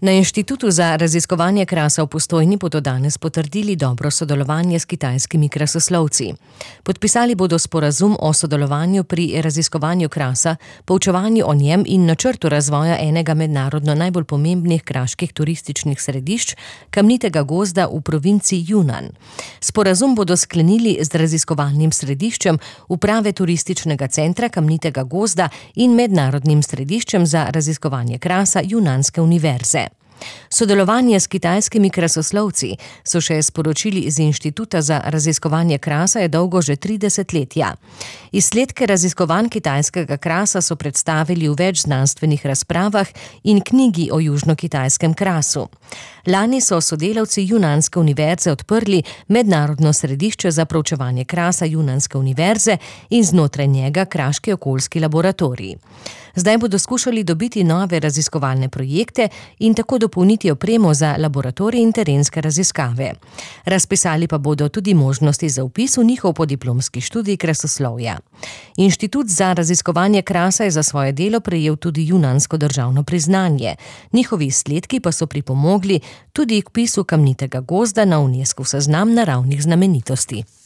Na Inštitutu za raziskovanje krasa v Postojni bodo danes potrdili dobro sodelovanje s kitajskimi krasoslovci. Podpisali bodo sporazum o sodelovanju pri raziskovanju krasa, poučevanju o njem in načrtu razvoja enega mednarodno najbolj pomembnih kraških turističnih središč, kamnitega gozda v provinci Yunnan. Sporazum bodo sklenili z raziskovalnim središčem uprave turističnega centra kamnitega gozda in mednarodnim središčem za raziskovanje krasa Junanske univerze. Sodelovanje s kitajskimi krasoslovci, so še sporočili iz Inštituta za raziskovanje krasa, je dolgo že 3 desetletja. Izsledke raziskovanj kitajskega krasa so predstavili v več znanstvenih razpravah in knjigi o južno-kitajskem krasu. Lani so sodelavci Junanske univerze odprli mednarodno središče za proučevanje krasa Junanske univerze in znotraj njega kraški okoljski laboratorij. Zdaj bodo skušali dobiti nove raziskovalne projekte in tako dopolniti opremo za laboratorij in terenske raziskave. Razpisali pa bodo tudi možnosti za vpis v njihov podiplomski študij krasoslovja. Inštitut za raziskovanje krasa je za svoje delo prejel tudi junansko državno priznanje. Njihovi izsledki pa so pripomogli tudi k vpisu kamnitega gozda na Unescov seznam naravnih znamenitosti.